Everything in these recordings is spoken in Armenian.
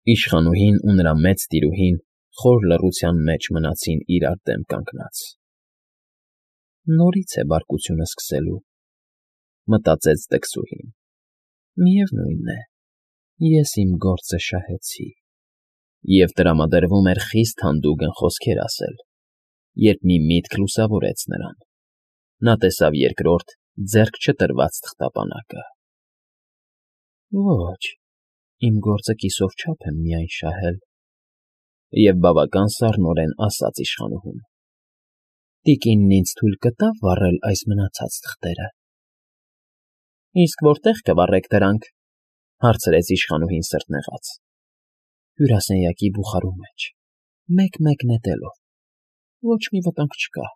Իշխանուհին ու նրա մեծ տիրուհին խոր լռության մեջ մնացին իրար դեմ կանգնած։ Նորից է բարկությունը սկսելու, մտածեց դքսուհին։ Միևնույն է, ես իմ գործը շահեցի։ Եվ տրամադրվում էր խիստ հանդուգն խոսքեր ասել, երբ մի միտք լուսավորեց նրան։ Նա տեսավ երկրորդ, ձեռք չտրված թղթապանակը։ Ոչ, իմ գործը կիսով չափ եմ միայն շահել, և բավական սառնորեն ասաց իշխանուհուն։ Տիկինն ինձ թույլ կտա՞ վառել այս մնացած թղթերը։ Իսկ որտե՞ղ կվառեք դրանք, հարցրեց իշխանուհին սրտնեղած։ Հյուրասենյակի բուխարու մեջ, մեկ֊մեկ նետելով, ոչ մի վտանգ չկա։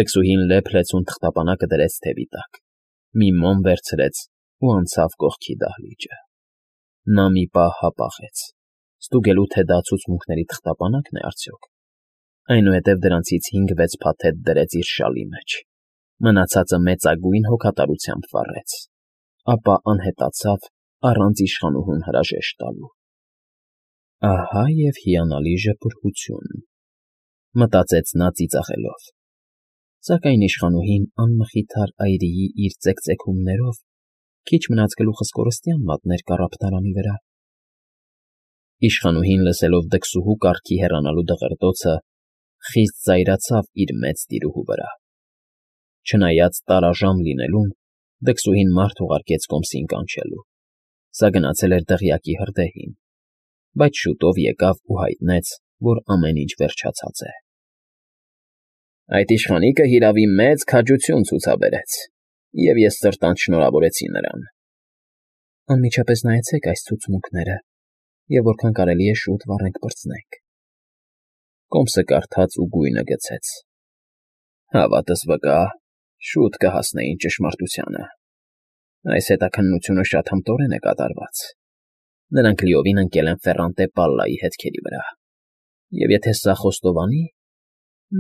Դքսուհին լեփ-լեցուն թղթապանակը դրեց թևի տակ, մի մոմ վերցրեց ու անցավ կողքի դահլիճը։ Նա մի պահ հապաղեց, ստուգելու, թե դա ցուցմունքների թղթապանակն է արդյոք։ Այնուհետև դրանցից 5-6 փաթեթ դրեց իր շալի մեջ, մնացածը մեծագույն հոգատարությամբ վառեց, ապա անհետացավ առանց իշխանուհուն հրաժեշտ տալու։ Ահա և հիանալի ժպուրգություն, մտածեց նա ծիծաղելով։ Սակայն իշխանուհին անմխիթար այրիի իր ծեքծեքումներով քիչ մնաց գլուխս կորստյան մատներ կառափնարանի վրա։ Իշխանուհին լսելով դքսուհու կառքի հեռանալու դղրդոցը, խիստ զայրացավ իր մեծ տիրուհու վրա։ Չնայած տարաժամ լինելուն, դքսուհին մարդ ուղարկեց կոմսին կանչելու։ Սա գնացել էր դղյակի հրդեհին, բայց շուտով եկավ ու հայտնեց, որ ամեն ինչ վերջացած է։ Այդ իշխանիկը հիրավի մեծ քաջություն ցուցաբերեց, և ես սրտանց շնորհավորեցի նրան։ Անմիջապես նայեցեք այս ցուցմունքները, և որքան կարելի է շուտ վառենք պրծնենք։ Կոմսը կարդաց ու գույնը գցեց։ Հավատս վկա, շուտ կհասնեին ճշմարտությանը։ Այս հետաքննությունը շատ հմտորեն է կատարված։ Նրանք լիովին ընկել են Ֆեռանտե Պալլայի հետքերի վրա։ Եվ եթե սա խոստովանի,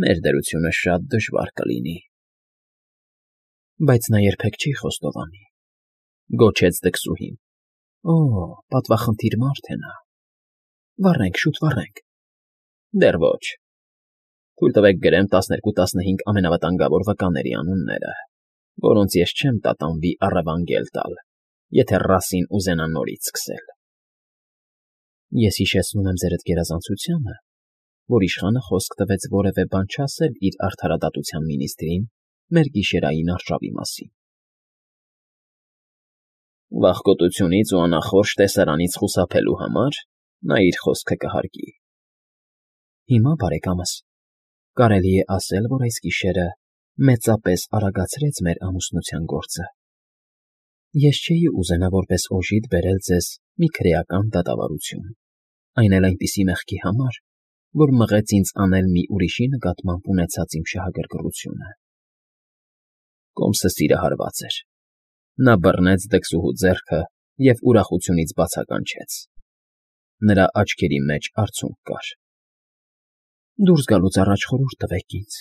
մեր դրությունը շատ դժվար կլինի։ Բայց նա երբեք չի խոստովանի, գոչեց դքսուհին։ Օ, պատվախնդիր մարդ է նա։ Վառենք, շուտ վառենք։ Դեռ ոչ։ Թույլ տվեք գրեմ 12-15 ամենավտանգավոր վկաների անունները, որոնց ես չեմ տատանվի առևանգել տալ, եթե ռասին ուզենա նորից սկսել։ Ես հիշեցնում եմ ձերդ գերազանցությանը, որ իշխանը խոսք տվեց որևէ բան չասել իր արդարադատության մինիստրին մեր գիշերային արշավի մասին։ Վախկոտությունից ու անախորժ տեսարանից խուսափելու համար նա իր խոսքը կհարգի։ Հիմա, բարեկամս, կարելի է ասել, որ այս գիշերը մեծապես արագացրեց մեր ամուսնության գործը։ Ես չէի ուզենա որպես օժիտ բերել ձեզ մի քրեական դատավարություն, այն էլ այնպիսի մեղքի համար, որ մղեց ինձ անել մի ուրիշի նկատմամբ ունեցած իմ շահագրգռությունը։ Կոմսը սիրահարված էր։ Նա բռնեց դքսուհու ձեռքը և ուրախությունից բացականչեց։ Նրա աչքերի մեջ արցունք կար։ Դուրս գալուց առաջ խորհուրդ տվեք ինձ։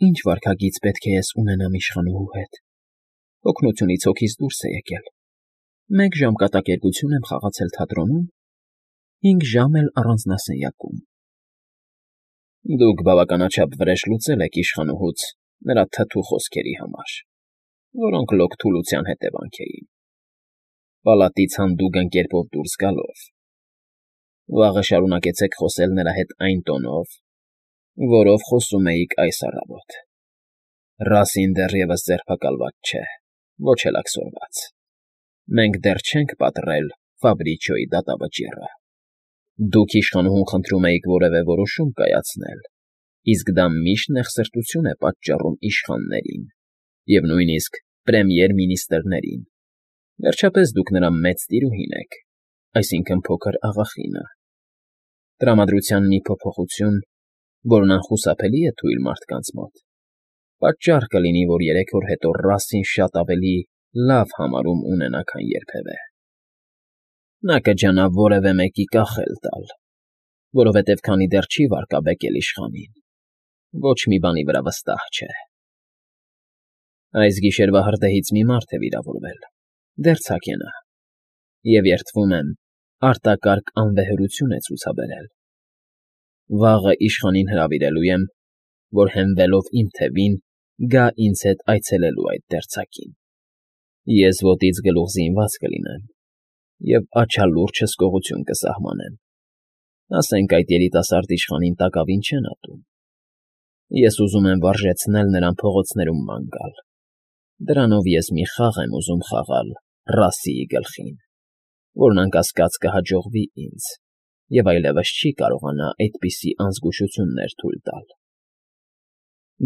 Ինչ վարքագիծ պետք է ես ունենամ իշխանուհու հետ։ Օգնությունից հոգիս դուրս է եկել։ 1 ժամ կատակերգություն եմ խաղացել թատրոնում, 5 ժամ էլ առանձնասենյակում։ Դուք բավականաչափ վրեժ լուծել եք իշխանուհուց նրա թթու խոսքերի համար, որոնք լոկ թուլության հետևանք էին։ Պալատից հանդուգն կերպով դուրս գալով։ Վաղը շարունակեցեք խոսել նրա հետ այն տոնով, որով խոսում էիք այս առավոտ։ Ռասին դեռևս ձերբակալված չէ, ոչ էլ աքսորված։ Մենք դեռ չենք պատռել Ֆաբրիչոյի դատավճիռը։ Դուք իշխանուհուն խնդրում էիք որևէ որոշում կայացնել, իսկ դա միշտ նեղսրտություն է պատճառում իշխաններին և նույնիսկ պրեմիեր֊մինիստրներին։ Վերջապես դուք նրա մեծ տիրուհին եք, այսինքն փոքր աղախինը։ Տրամադրության մի փոփոխություն, որն անխուսափելի է թույլ մարդկանց մոտ, պատճառ կլինի, որ 3 օր հետո Ռասին շատ ավելի լավ համարում ունենա, քան երբևէ։ Նա կջանա որևէ մեկի կախել տալ, որովհետև քանի դեռ չի վարկաբեկել իշխանին, ոչ մի բանի վրա վստահ չէ։ Այս գիշերվա հրդեհից մի մարդ է վիրավորվել, դեռ ցակ է նա, և երդվում եմ, արտակարգ անվեհերություն է ցուցաբերել։ Վաղը իշխանին հրավիրելու եմ, որ հենվելով իմ թևին, գա ինձ հետ այցելելու այդ դերձակին։ Ես ոտից գլուխ զինված կլինեմ և աչալուրջ հսկողություն կսահմանեմ։ Ասենք այդ երիտասարդ իշխանին տակավին չեն ատում։ Ես ուզում եմ վարժեցնել նրան փողոցներում ման գալ։ Դրանով ես մի խաղ եմ ուզում խաղալ Ռասիի գլխին, որն անկասկած կհաջողվի ինձ, և այլևս չի կարողանա այդպիսի անզգուշություններ թույլ տալ։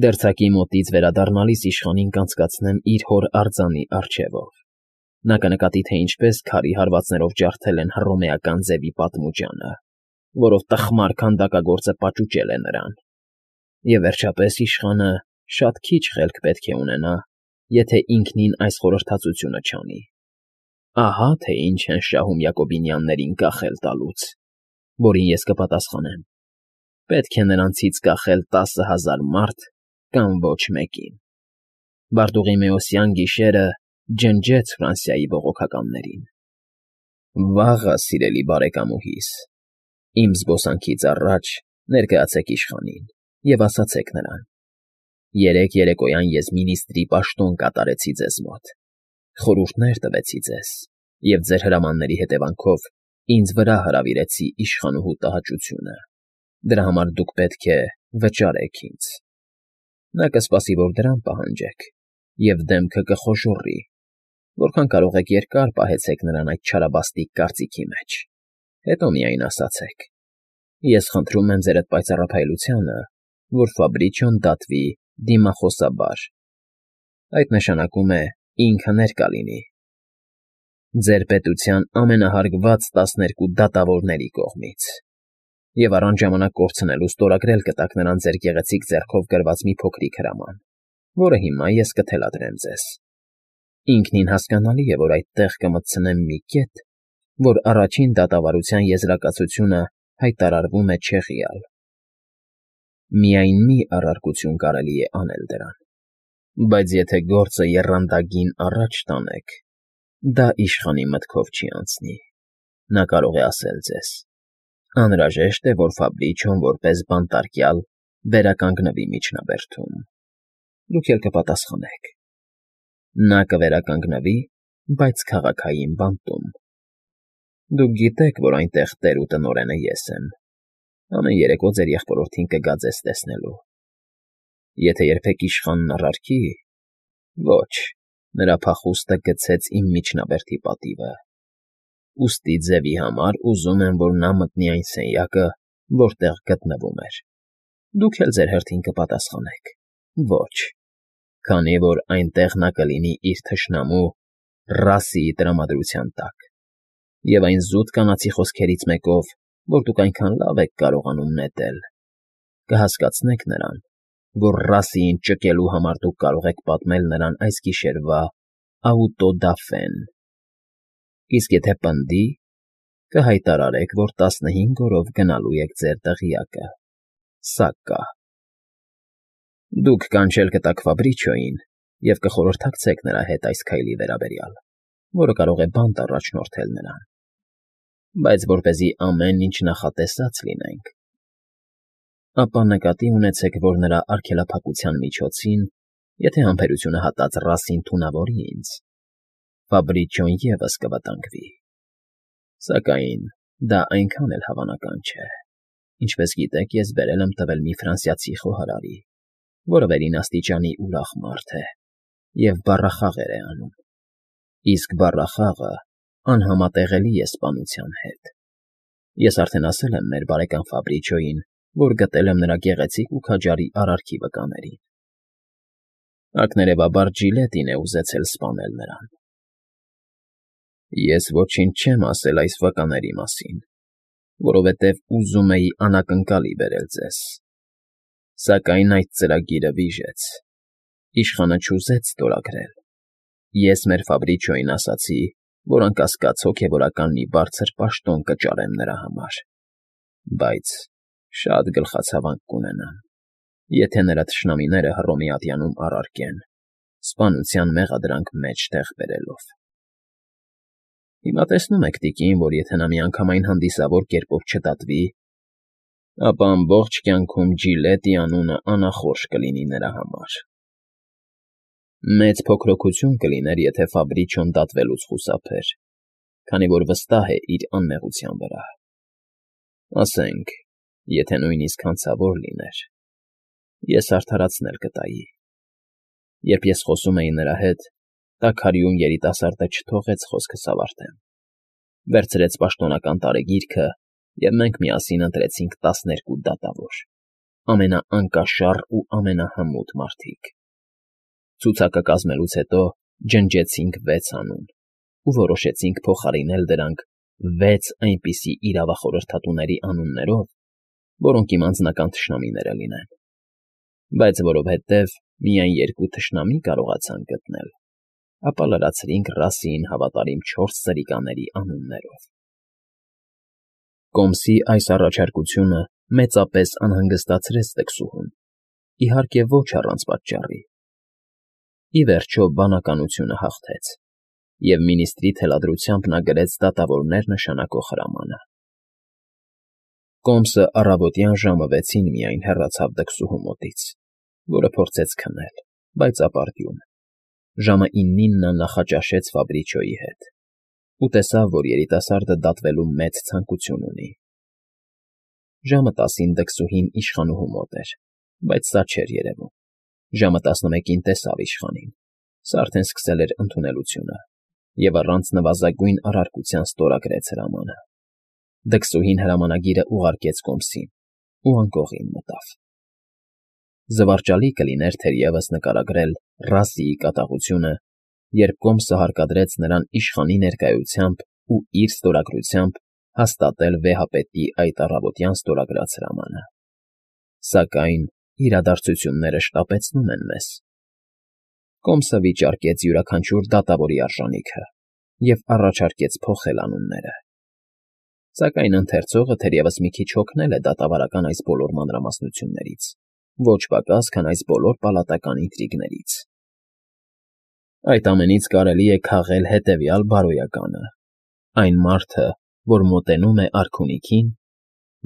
Դերձակի մոտից վերադառնալիս իշխանին կանցկացնեմ իր հոր արձանի առջևով։ Նա կնկատի, թե ինչպես քարի հարվածներով ջարդել են հռոմեական ձևի պատմուճանը, որով տխմար քանդակագործը պաճուճել է նրան։ Եվ վերջապես իշխանը շատ քիչ խելք պետք է ունենա, եթե ինքնին այս խորհրդածությունը չանի։ Ահա թե ինչ են շահում Յակոբինյաններին կախել տալուց, որին ես կպատասխանեմ. պետք է նրանցից կախել 10,000 մարդ կամ ոչ մեկին։ Բարտուղիմեոսյան գիշերը ջնջեց Ֆրանսիայի բողոքականներին։ Վաղը, սիրելի բարեկամուհիս, իմ զբոսանքից առաջ ներկայացեք իշխանին և ասացեք նրան. երեկ երեկոյան ես մինիստրի պաշտոն կատարեցի ձեզ մոտ, խորհուրդներ տվեցի ձեզ և ձեր հրամանների հետևանքով ինձ վրա հրավիրեցի իշխանուհու տհաճությունը։ Դրա համար դուք պետք է վճարեք ինձ։ Նա կսպասի, որ դրամ պահանջեք, և դեմքը կխոժոռի, որքան կարող եք երկար պահեցեք նրան այդ չարաբաստիկ կարծիքի մեջ, հետո միայն ասացեք. ես խնդրում եմ ձեր այդ պայծառափայլությանը, որ Ֆաբրիչիոն դատվի դիմախոսաբար։ Այդ նշանակում է ինքը ներկա լինի ձեր պետության ամենահարգված 12 դատավորների կողմից, և առանց ժամանակ կորցնելու ստորագրել կտաք նրան ձեր գեղեցիկ ձեռքով գրված մի փոքրիկ հրաման, որը հիմա ես կթելադրեմ ձեզ։ Ինքնին հասկանալի է, որ այդտեղ կմտցնեմ մի կետ, որ առաջին դատավարության եզրակացությունը հայտարարվում է չեղյալ։ Միայն մի առարկություն կարելի է անել դրան, բայց եթե գործը եռանդագին առաջ տանեք, դա իշխանի մտքով չի անցնի։ Նա կարող է ասել ձեզ. անհրաժեշտ է, որ Ֆաբրիչիոն որպես բանտարկյալ վերականգնվի միջնաբերդում։ Դուք էլ կպատասխանեք. նա կվերականգնվի, բայց քաղաքային բանտում։ Դուք գիտեք, որ այնտեղ տեր ու տնօրենը ես եմ։ Ամեն երեկո ձեր եղբորորդին կգա ձեզ տեսնելու։ Եթե երբեք իշխանն առարկի, ոչ, նրա փախուստը գցեց իմ միջնաբերդի պատիվը։ Ուստի ձևի համար ուզում եմ, որ նա մտնի այն սենյակը, որտեղ գտնվում էր։ Դուք էլ ձեր հերթին կպատասխանեք. ոչ, քանի որ այնտեղ նա կլինի իր թշնամու Ռասիի տրամադրության տակ, և այն զուտ կանացի խոսքերից մեկով, որ դուք այնքան լավ եք կարողանում նետել, կհասկացնեք նրան, որ Ռասիին ճկելու համար դուք կարող եք պատմել նրան այս գիշերվա աուտոդաֆեն։ Իսկ եթե պնդի, կհայտարարեք, որ 15 օրով գնալու եք ձեր դղյակը։ Սա կա։ Դուք կանչել կտաք Ֆաբրիչիոյին և կխորհրդակցեք նրա հետ այս քայլի վերաբերյալ, որը կարող է բանտ առաջնորդել նրան, բայց որպեսզի ամեն ինչ նախատեսած լինենք, ապա նկատի ունեցեք, որ նրա արգելափակության միջոցին, եթե համբերությունը հատած Ռասին թունավորի ինձ, Ֆաբրիչիոն ևս կվտանգվի։ Սակայն դա այնքան էլ հավանական չէ։ Ինչպես գիտեք, ես բերել եմ տվել մի ֆրանսիացի խոհարարի, որը վերին աստիճանի ուրախ մարդ է և բառախաղեր է անում։ Իսկ բառախաղը անհամատեղելի է սպանության հետ։ Ես արդեն ասել եմ մեր բարեկամ Ֆաբրիչիոյին, որ գտել եմ նրա գեղեցիկ ու քաջարի արարքի վկաներին։ Ակներևաբար Ջիլետին է ուզեցել սպանել նրան։ Ես ոչինչ չեմ ասել այս վկաների մասին, որովհետև ուզում էի անակնկալի բերել ձեզ։ Սակայն այդ ծրագիրը վիժեց։ Իշխանը չուզեց ստորագրել։ Ես մեր Ֆաբրիչիոյին ասացի, որ անկասկած հոգևորական մի բարձր պաշտոն կճարեմ նրա համար, բայց շատ գլխացավանք կունենամ, եթե նրա թշնամիները Հռոմի ատյանում առարկեն, սպանության մեղադրանք մեջտեղ բերելով։ Հիմա տեսնում եք, տիկին, որ եթե նա միանգամայն հանդիսավոր կերպով չդատվի, ապա ամբողջ կյանքում Ջիլետի անունը անախորժ կլինի նրա համար։ Մեծ փոքրոքություն կլիներ, եթե Ֆաբրիչոն դատվելուց խուսափեր, քանի որ վստահ է իր անմեղության վրա։ Ասենք, եթե նույնիսկ հանցավոր լիներ, ես արդարացնել կտայի։ Երբ ես խոսում էի նրա հետ, տաքարյուն երիտասարդը չթողեց խոսքս ավարտեմ։ Վերցրեց պաշտոնական տարեգիրքը, և մենք միասին ընտրեցինք 12 դատավոր, ամենաանկաշառ ու ամենահմուտ մարդիկ։ Ցուցակը կազմելուց հետո ջնջեցինք 6 անուն ու որոշեցինք փոխարինել դրանք 6 այնպիսի իրավախորհրդատուների անուններով, որոնք իմ անձնական թշնամիները լինեն, բայց որովհետև միայն 2 թշնամի կարողացանք գտնել, ապա լրացրինք Ռասիին հավատարիմ 4 սրիկաների անուններով։ Կոմսի այս առաջարկությունը մեծապես անհանգստացրեց տկսուհուն, իհարկե ոչ առանց պատճառի։ Ի վերջո բանականությունը հաղթեց, և մինիստրի թելադրությամբ նա գրեց դատավորներ նշանակող հրամանը։ Կոմսը առավոտյան ժամը 6-ին միայն հեռացավ դքսուհու մոտից, որը փորձեց քնել, բայց ապարդյուն։ Ժամը 9-ին նա նախաճաշեց Ֆաբրիչոյի հետ ու տեսավ, որ երիտասարդը դատվելու մեծ ցանկություն ունի։ Ժամը 10-ին դքսուհին իշխանուհու մոտ էր, բայց սա չէր երևում։ Ժամը 11-ին տեսավ իշխանին, սա արդեն սկսել էր ընդունելությունը, և առանց նվազագույն առարկության ստորագրեց հրամանը։ Դքսուհին հրամանագիրը ուղարկեց Կոմսին ու անկողին մտավ։ Զվարճալի կլիներ թերևս նկարագրել Ռասիի կատաղությունը, երբ Կոմսը հարկադրեց նրան իշխանի ներկայությամբ ու իր ստորագրությամբ հաստատել վեհապետի այդ առավոտյան ստորագրած հրամանը։ Սակայն իրադարձությունները շտապեցնում են մեզ։ Կոմսը վիճարկեց յուրաքանչյուր դատավորի արժանիքը և առաջարկեց փոխել անունները։ Սակայն ընթերցողը թերևս մի քիչ հոգնել է դատավարական այս բոլոր մանրամասնություններից, ոչ պակաս, քան այս բոլոր պալատական ինտրիգներից։ Այդ ամենից կարելի է քաղել հետևյալ բարոյականը. այն մարդը, որ մոտենում է արքունիքին,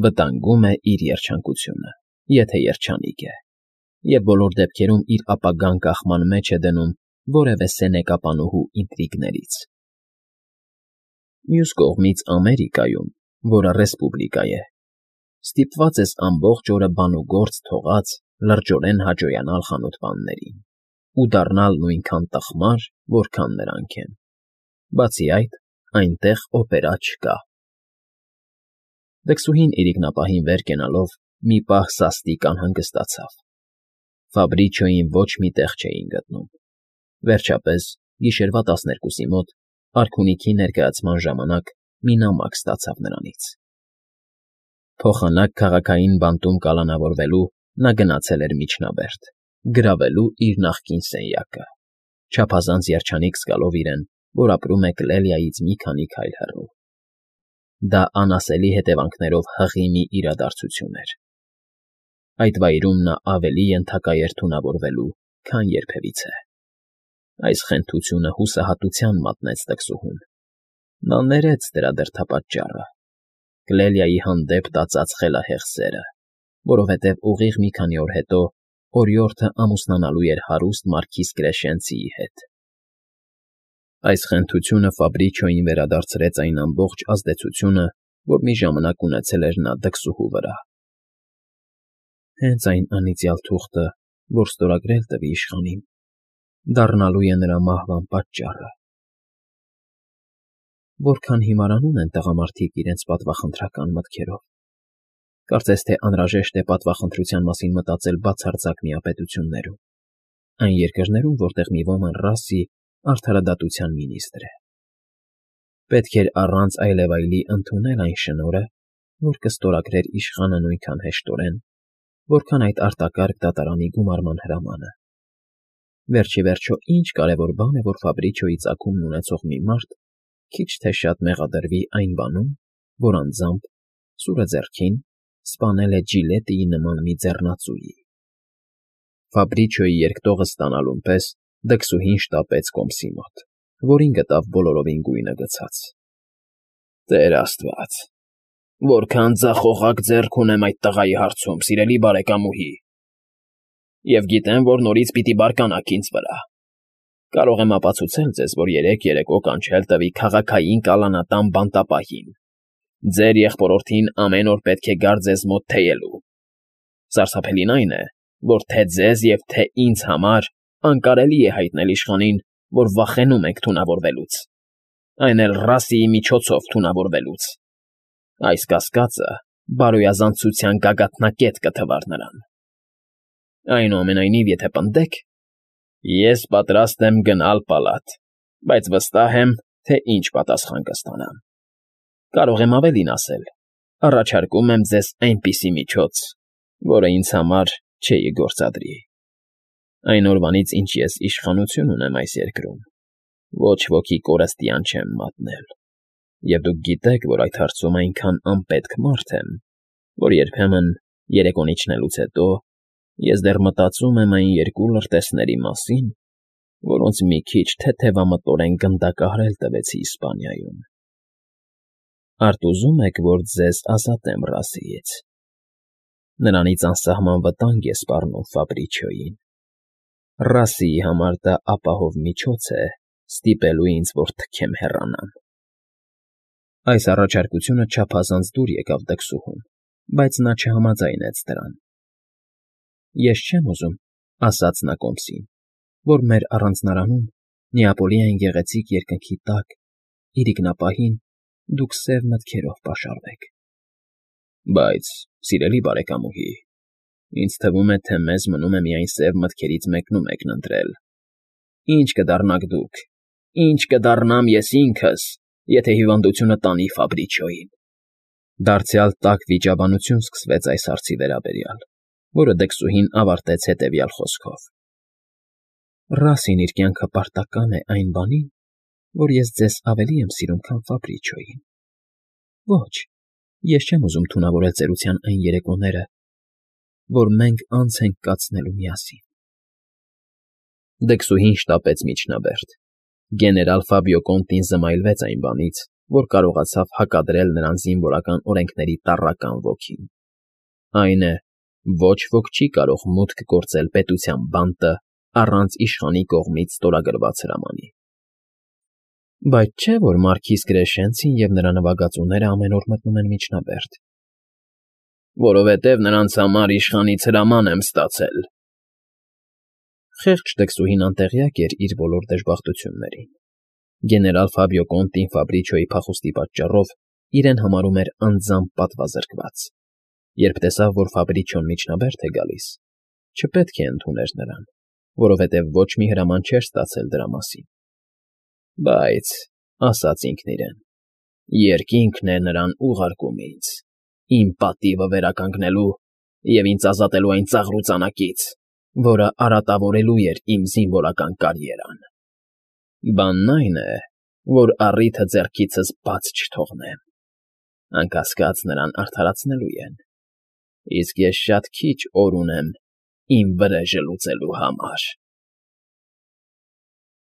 վտանգում է իր երջանկությունը, եթե երջանիկ է, և բոլոր դեպքերում իր ապագան կախման մեջ է դնում որևէ սենեկապանուհու ինտրիգներից։ Մյուս կողմից Ամերիկայում, որը ռեսպուբլիկա է, ստիպված ես ամբողջ օրը բան ու գործ թողած լրջորեն հաճոյանալ խանութպաններին ու դառնալ նույնքան տխմար, որքան նրանք են։ Բացի այդ, այնտեղ օպերա չկա։ Դքսուհին իրիկնապահին վեր կենալով մի պահ սաստիկ անհանգստացավ։ Ֆաբրիչոյին ոչ մի տեղ չէին գտնում։ Վերջապես, գիշերվա 12-ի մոտ, արքունիքի ներկայացման ժամանակ մի նամակ ստացավ նրանից։ Փոխանակ քաղաքային բանտում կալանավորվելու նա գնացել էր Միջնաբերդ, գրավելու իր նախկին սենյակը, չափազանց երջանիկ զգալով իրեն, որ ապրում է Կլելիայից մի քանի քայլ հեռու։ Դա անասելի հետևանքներով հղի մի իրադարձություն էր։ Այդ վայրում նա ավելի ենթակա էր թունավորվելու, քան երբևիցե։ Այս խենթությունը հուսահատության մատնեց տկսուհուն։ Նա ներեց դրա դրդապատճառը՝ Կլելիայի հանդեպ տածած խելահեղ սերը, որովհետև ուղիղ մի քանի օր հետո օրիորդը ամուսնանալու էր հարուստ մարքիզ Կրեշենցիի հետ։ Այս խենթությունը Ֆաբրիչոյին վերադարձրեց այն ամբողջ ազդեցությունը, որ մի ժամանակ ունեցել էր նա դքսուհու վրա։ Հենց այն անիծյալ թուղթը, որ ստորագրել տվի իշխանին, դառնալու է նրա մահվան պատճառը։ Որքան հիմարանում են տղամարդիկ իրենց պատվախնդրական մտքերով։ Կարծես թե անհրաժեշտ է պատվախնդրության մասին մտածել բացարձակ միապետություններում, այն երկրներում, որտեղ մի ոմն Ռասի արդարադատության մինիստր է։ Պետք էր առանց այլևայլի ընդունել այն շնորհը, որ կստորագրեր իշխանը նույնքան հեշտորեն, որքան այդ արտակարգ դատարանի գումարման հրամանը։ Վերջ ի վերջո, ինչ կարևոր բան է, որ Ֆաբրիչոյի ծագումն ունեցող մի մարդ քիչ թե շատ մեղադրվի այն բանում, որ անձամբ, սուրը ձեռքին, սպանել է Ջիլետիի նման մի ձեռնածուի։ Ֆաբրիչոյի երկտողը ստանալուն պես դքսուհին շտապեց Կոմսի մոտ, որին գտավ բոլորովին գույնը գցած։ Տեր Աստված, որքան ձախողակ ձեռք ունեմ այդ տղայի հարցում, սիրելի բարեկամուհի, և գիտեմ, որ նորից պիտի բարկանաք ինձ վրա. կարող եմ ապացուցել ձեզ, որ երեկո կանչել տվի քաղաքային կալանատան բանտապահին. ձեր եղբորորդին ամեն օր պետք է գար ձեզ մոտ թեյելու. սարսափելին այն է, որ թե ձեզ և թե ինձ համար անկարելի է հայտնել իշխանին, որ վախենում ենք թունավորվելուց, այն էլ ռասիի միջոցով թունավորվելուց. այս կասկածը բարոյազանցության գագաթնակետ կթվար նրան. այնուամենայնիվ, եթե պնդեք, ես պատրաստ եմ գնալ պալատ, բայց վստահ եմ, թե ինչ պատասխան կստանամ. կարող եմ ավելին ասել, առաջարկում եմ ձեզ այնպիսի միջոց, որը ինձ համար չէի գործադրի. այն օրվանից, ինչ ես իշխանություն ունեմ այս երկրում, ոչ ոքի կորստյան չեմ մատնել, և դուք գիտեք, որ այդ հարցում այնքան անպետք մարդ եմ, որ երբեմն երեկոն իջնելուց հետո ես դեռ մտածում եմ այն երկու լրտեսների մասին, որոնց մի քիչ թեթևամտորեն գնդակահարել տվեցի Իսպանիայում. Արդ ուզում եք, որ ձեզ ազատեմ Ռասիից. նրանից անսահման վտանգ է սպառնում Ֆաբրիչիոյին. Ռասիի համար դա ապահով միջոց է ստիպելու ինձ, որ թքեմ հեռանամ. Այս առաջարկությունը չափազանց դուր եկավ դքսուհուն, բայց նա չհամաձայնեց դրան. Ես չեմ ուզում, ասաց նա կոմսին, որ մեր առանձնարանում, Նեապոլիային գեղեցիկ երկնքի տակ, իրիկնապահին, դուք սև մտքերով պաշարվեք. բայց, սիրելի բարեկամուհի, ինձ թվում է, թե մեզ մնում է միայն սև մտքերից մեկնումեկն ընտրել. ինչ կդառնաք դուք, ինչ կդառնամ ես ինքս, եթե հիվանդությունը տանի Ֆաբրիչիոյին. Դարձյալ տաք վիճաբանություն սկսվեց այս հարցի վերաբերյալ, որը դքսուհին ավարտեց հետևյալ խոսքով. Ռասին իր կյանքը պարտական է այն բանին, որ ես ձեզ ավելի եմ սիրում, քան Ֆաբրիչիոյին. ոչ, ես չեմ ուզում թունավորել ծերության այն երեկոները, որ մենք անց ենք կացնելու միասին։ Դքսուհին շտապեց միջնաբերդ. գեներալ Ֆաբիո Կոնտին զմայլվեց այն բանից, որ կարողացավ հակադրել նրան զինվորական օրենքների տառական ոգին. այն է, ոչ ոք չի կարող մուտք գործել պետության բանտը առանց իշխանի կողմից ստորագրված հրամանի։ Բայց չէ՞ որ մարքիզ Կրեշենցին և նրա նվագածուները ամեն օր մտնում են միջնաբերդ։ Որովհետև նրանց համար իշխանից հրաման եմ ստացել։ Խեղճ դքսուհին անտեղյակ էր իր բոլոր դժբախտություններին. գեներալ Ֆաբիո Կոնտին Ֆաբրիչիոյի փախուստի պատճառով իրեն համարում էր անձամբ պատվազրկված. երբ տեսավ, որ Ֆաբրիչիոն միջնաբերդ է գալիս, չպետք է ընդուներ նրան, որովհետև ոչ մի հրաման չէր ստացել դրա մասին։ Բայց, ասաց ինքն իրեն, երկինքն է նրան ուղարկում ինձ, իմ պատիվը վերականգնելու և ինձ ազատելու այն ծաղրուծանակից, որը արատավորելու էր իմ զինվորական կարիերան։ Բանն այն է, որ առիթը ձեռքիցս բաց չթողնեմ, անկասկած նրան արդարացնելու են, իսկ ես շատ քիչ օր ունեմ իմ վրեժը լուծելու համար։